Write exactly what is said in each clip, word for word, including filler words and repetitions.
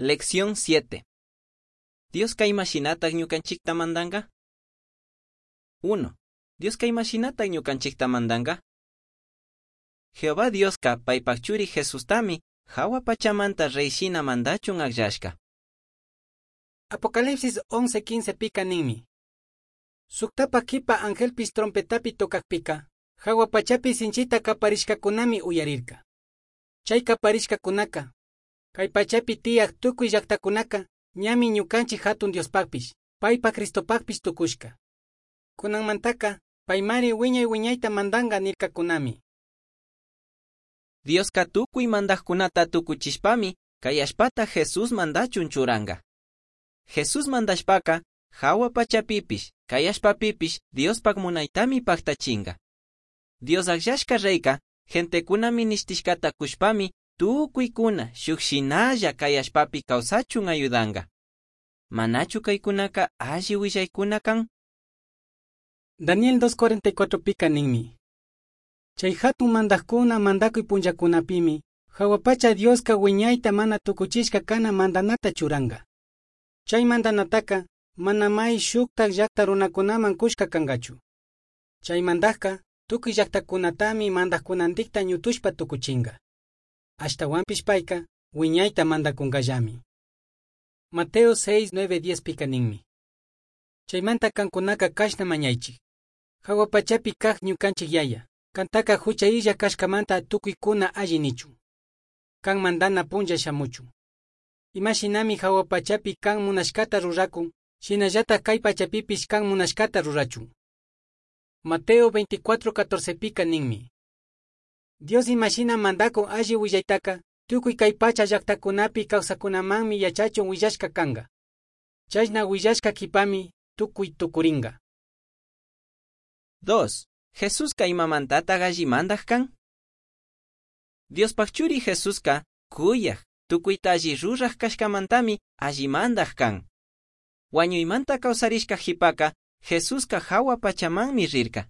Lección siete. Dioska imashinatak ñukanchikta mandanka? uno. Dioska imashinatak ñukanchikta mandanka? Jehová Dioska paypak churi Jesustami jahua pachamanta rey shina mandachun akllashka. Apocalipsis once quince pica ninmi. Suktapa kipa angelpis trompetapi tocakpika, jahua pachapi sinchita kaparishkakunami uyarirka. Chay kaparishkakunaka, kay pachapi tiyak tukuy llaktakunaka, ñami ñukanchik hatun Diospakpish, paypa Cristopakpish tukushka. Kunanmantaka, paymari wiñay wiñayta mandanga nirkakunami. Dioska tukuy mandajkunata tukuchishpami, kay allpata Jesús mandachun churanka. Jesús mandashpaka, jahua pachapipish, kay allpapipish Diospak munaytami paktachinka. Dios akllashka reyka, gentekuna minishtishkata kushpami, tukuykuna shuk shinalla kay allpapi kawsachun ayudanka. Manachu kaykunaka alli willaykuna kan? Daniel dos cuarenta y cuatro pika ninmi. Chay hatun mandajkuna mandakuy punllakunapimi, jahua pacha Dioska wiñayta mana tukuchishka kana mandanata churanka. Chay mandanataka mana may shuktak llakta runakunaman kushka kankachu. Chay mandajka tukuy llaktakunatami mandajkunantikta ñutushpa tukuchinka. Ashtawanpish payka wiñayta mandakunkallami. Mateo seis, nueve, diez pika ninmi. Chaymanta kankunaka kashna mañaychik. Jahua pachapi kaj ñukanchik yaya, kantaka hucha illa kashkamanta tukuykuna alli nichun. Kan mandana punlla shamuchun. Imashinami jahua pachapi kan munashkata rurakun, shinallatak kay pachapipish kan munashkata rurachun. Mateo veinticuatro, catorce pika ninmi. Dios imashina mandakun alli willaytaka, tukuy kay pacha llaktakunapi kawsakunamanmi yachachun willashka kanka. Chashna willashka kipami tukuy tukurinka. Dos. Jesuska imamantataq alli mandaj kan? Diospaj churi Jesuska kuyaj, tukuyta alli ruraj kashkamantami alli mandaj kan. Wañuymanta kawsarishka jipaka, Jesuska jahua pachamanmi rirka.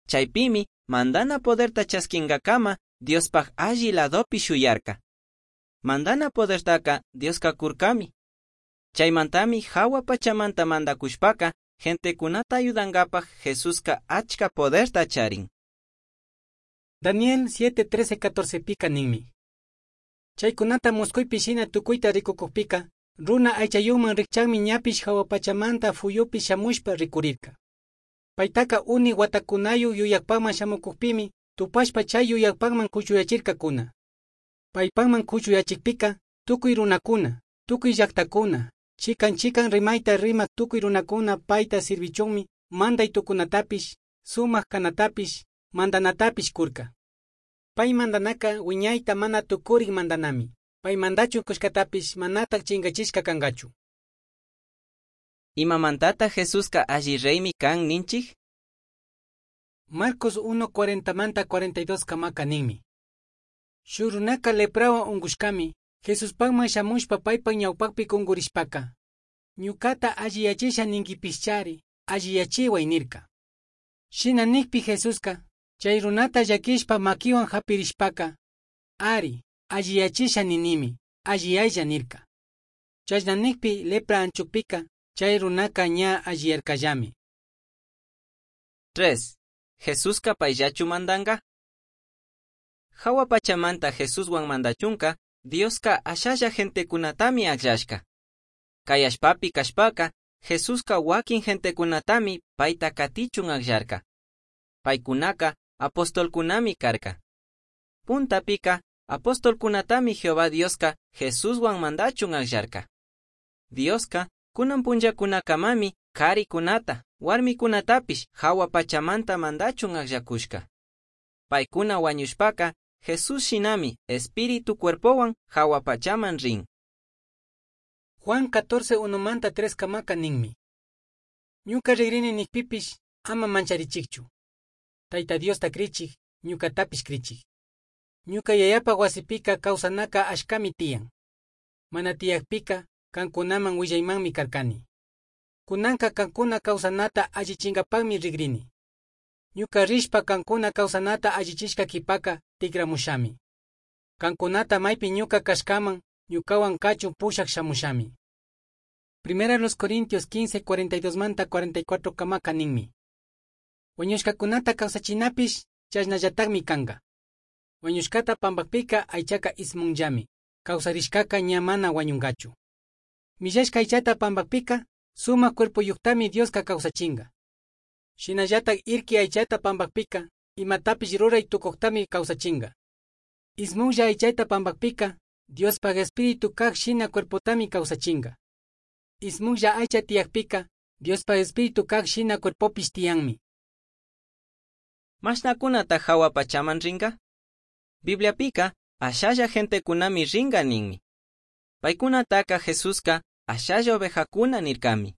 Chaypimi mandana poderta chaskinkakama Diospaj alli ladopi shuyarka. Mandana podertaka Dioska kurkami. Chaymantami jahua pachamanta mandakushpaka, gentekunata ayudankapaj Jesuska achka poderta charin. Daniel siete, trece, catorce pika ninmi. Chaykunata muskuypi shina tukuyta rikukukpika, runa aychayuman rikchakmi ñapish jahua pachamanta fuyupi shamushpa rikurirka. Paytaka uni watakunayu yuyakpakman shamukukpimi, tupashpa chay yuyakpakman kuchuyachirkakuna. Paypakman kuchuyachikpika, tukuy runakuna, tukuy llaktakuna, chikan chikan rimayta rimak tukuy runakuna payta sirvichunmi manday tukunatapish, sumak kanatapish, mandanatapish kurka. Pay mandanaka wiñayta mana tukurik mandanami, pay mandachun kushkatapish manatak chinkachishka kankachu. Imamantata Jesuska alli reymi kan ninchik? Marcos uno cuarenta manta cuarenta y dos kamaka ninmi. Shuk runaka leprawan unkushkami, Jesuspakman shamushpa paypak ñawpakpi kunkurishpaka, ñukata alliyachisha ninkipischari, alliyachiway nirka. Shina nikpi Jesuska, chay runata llakishpa makiwan hapirishpaka, ari, alliyachisha ninimi, alliyaylla nirka. Chashna nikpi lepra anchukpika, chay runaka ña alliyarkallami. Tres. Jesuska payllachu mandanka? Jahua pachamanta Jesuswan mandachunka, Dioska ashalla gentekunatami akllashka. Kay allpapi kashpaka, Jesuska wakin gentekunatami payta katichun akllarka. Paykunaka apostolkunami karka. Puntapika, apostolkunatami Jehová Dioska Jesuswan mandachun akllarka. Dioska kunan punllakunakamami karikunata, warmikunatapish jahua pachamanta mandachun akllakushka. Paykuna wañushpaka, Jesús shinami espíritu cuerpowan jahua pachaman rin. Juan catorce unomanta tres kamaka ninmi. Ñuka rigrini nikpipish ama mancharichikchu. Tayta Diosta krichik, ñukatapish krichik. Ñuka yayapa wasipika kawsanaka ashkami tiyan. Mana tiyakpika kankunaman willaymanmi karkani. Kunanka kankuna kawsanata allichinkapakmi rigrini. Ñuka rishpa kankuna kawsanata allichishka kipaka tikramushami. Kankunata maypi ñuka kashkaman ñucahuan cachun pushaj shamushami. Primera los Corintios quince, cuarenta y dos manta cuarenta y cuatro camaca ninmi. Huañushcacunata causachinapish chashnallatajmi canga. Huañushcata pambajpica aichaca ismunllami, causarishcaca ña mana huañungachu. Millashca aichata pambajpica sumaj cuerpoyujtami Diosca causachinga. Shinallataj irqui aichata pambajpica imatapish rurai tucujtami causachinga. Ismunlla aichata pambajpica Diospaj espíritu kaj shina cuerpotami causachinga. Ismunlla aicha tiyajpica Diospaj espíritu kaj shina cuerpopish tiyanmi. Mashnacunata jahua pachaman ringa? Bibliapica ashalla gentecunami ringa ninmi. Paicunataca Jesusca ashalla ovejacuna nircami.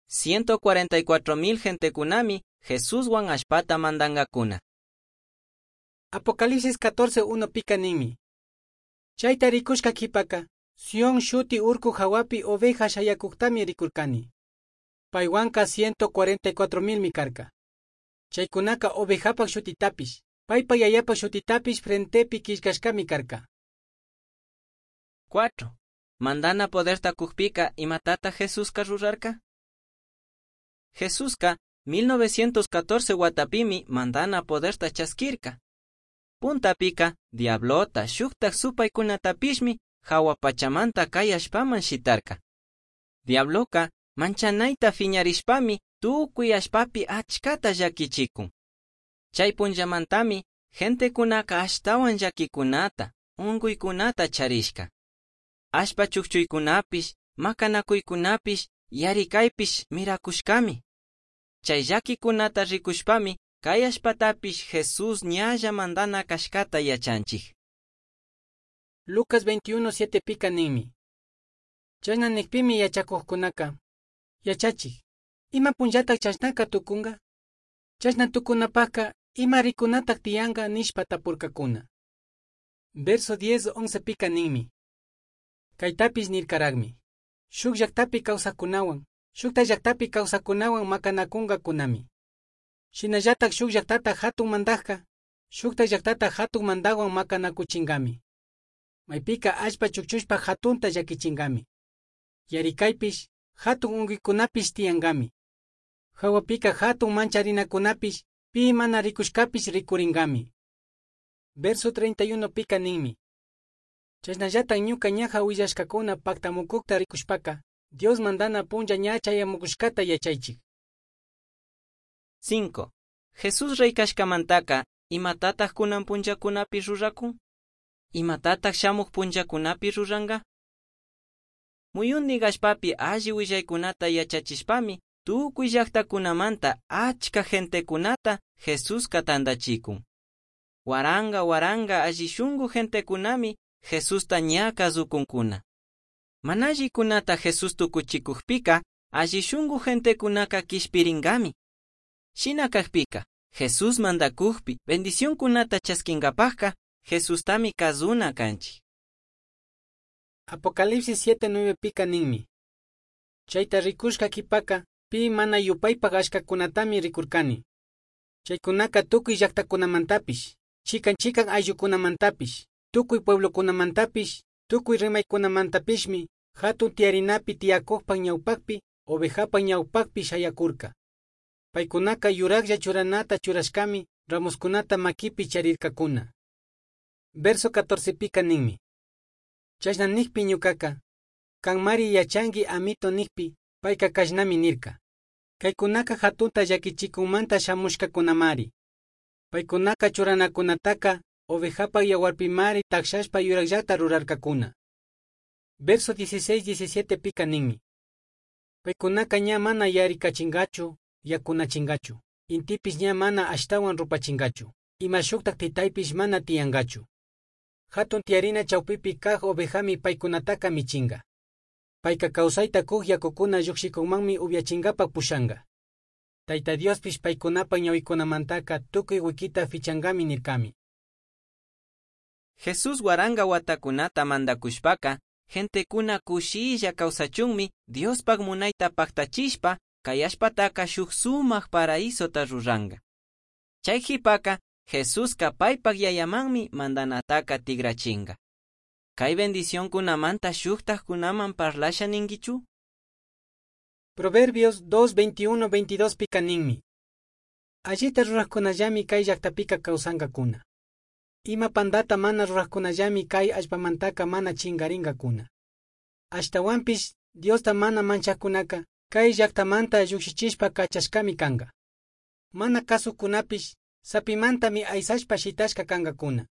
ciento cuarenta y cuatro mil gentecunami Jesuswan allpata mandangacuna. Apocalipsis catorce uno pica ninmi. Chayta rikushka qhipaka, Sion shuti urku hawapi oveja shayakuqtami rikurkani. Paywanka ciento cuarenta y cuatro milmi karka. Chaykunaka ovejapaq shutitapish, paypa yayapaq shutitapish frentepi killkashkami karka. Cuatro. Mandana poderta kujpika imatata Jesuska rurarka? Jesuska mil novecientos catorce watapimi mandana poderta chaskirka. Puntapika diablota shuktak supaykunatapishmi hawa pachamanta kay allpaman shitarka. Diabloka manchanayta fiñarishpami tukuy allpapi achkata llakichikun. Chay punllamantami gentekunaka ashtawan llakikunata, unkuykunata charishka. Allpa chukchuykunapish, makanakuykunapish, yarikaypish mirakushkami. Chay llakikunata rikushpami kay allpatapish Jesús ñalla mandana kashkata yachanchik. Lucas veintiuno siete pika ninmi. Chashna nikpimi yachakuqkunaka, yachachik, ima punllataq chashnaka tukunga? Chashna tukunapaqqa ima rikunataq tiyanqa nishpa tapurkakuna. Verso diez once pika ninmi. Kaytapish nirkaraqmi. Shuk llaqtapi kawsaqkunawan, shukta llaqtapi kawsaqkunawan makanakunqakunami. Shinallataq shuk llaqtata hatun mandaqqa, shukta llaqtata hatun mandaqwan makanakuchinkami. Maypika allpa chukchushpa hatunta llakichinkami. Yarikaypish, hatun unkuykunapish tiyankami. Hawapika hatun mancharinakunapish, pi mana rikushkapish rikurinkami. Verso treinta y uno pika ninmi. Chashnallataq ñuka ñaja willashkakuna pactamukukta rikushpaka, Dios mandana punlla ña chayamukushkata yachaychik. Cinco. Jesús rey kashkamantaka, imatataq kunan punllakunapi rurakun? Imatataq shamuq punllakunapi ruranqa? Muyundik allpapi alli willaykunata yachachishpami, tukuy llaqtakunamanta achka gentekunata Jesuska tantachikun. Waranga waranga alli shunku gentekunami Jesusta ña kasukunkuna. Mana allikunata Jesús tukuchikukpika, alli shunku gentekunaka kishpirinkami. Shina kajpika, Jesús mandakukpi bendicionkunata chaskinkapajka, Jesustami kazuna kanchik. Apocalipsis siete nueve pika ninmi. Chayta rikushka qhipaka, pi mana yupaypaq ashkakunatami rikurkani. Chaykunaka tukuy llaqtakunamantapish, chikan chikan ayllukunamantapish, tukuy pueblokunamantapish, tukuy rimaykunamantapishmi, hatun tiyarinapi tiyakuqpa ñawpaqpi, ovejapa ñawpaqpi shayakurka. Paykunaka yuraqlla churanata churashkami, ramoskunata makipi charirkakuna. Verso catorce pika ninmi. Chashna nikpi ñukaka, kanmari yachanki amito nikpi, payka kashnami nirka. Kaykunaka hatunta llakichikunmanta shamushkakunamari. Paykunaka churanakunataka, ovejapa yawarpimari takshashpa yuraqllata rurarkakuna. Verso dieciséis diecisiete pika ninmi. Paykunaka ña mana yarikachingachu, yakunachingachu, intipis ña mana ashtawan rupachingachu, ima shuktak titaypish mana tiyangachu. Hatun tiyarina chawpipi kaq ovejami paykunataka michinga. Payka kawsayta kuq yakukuna lluqshikunmanmi upyachingapaq pushanga. Tayta Diospish paykunapa ñawikunamantaka tukuy wikita fichangami nirkami. Jesús waranga watakunata mandakushpaka, gentekuna kushilla kawsachunmi Diospaq munayta paqtachishpa kay allpataka shuk sumaq paraísota ruranqa. Chay qhipaka, Jesuska paypaq yayamanmi mandanataka tigrachinqa. Cai bendicioncunamanta shujtajcunaman parlasha ninguichu? Proverbios dos, veintiuno, veintidós pica ninmi. Allita rurajcunallami cai llajtapica causangacuna. Ima pandata mana rurajcunallami cai allpamantaca mana chingaringacuna. Ashtahuanpish Diosta mana manchajcunaca cai llajtamanta llujshichishpa cachashcami canga. Mana cazujcunapish sapimantami aisashpa shitashca cangacuna.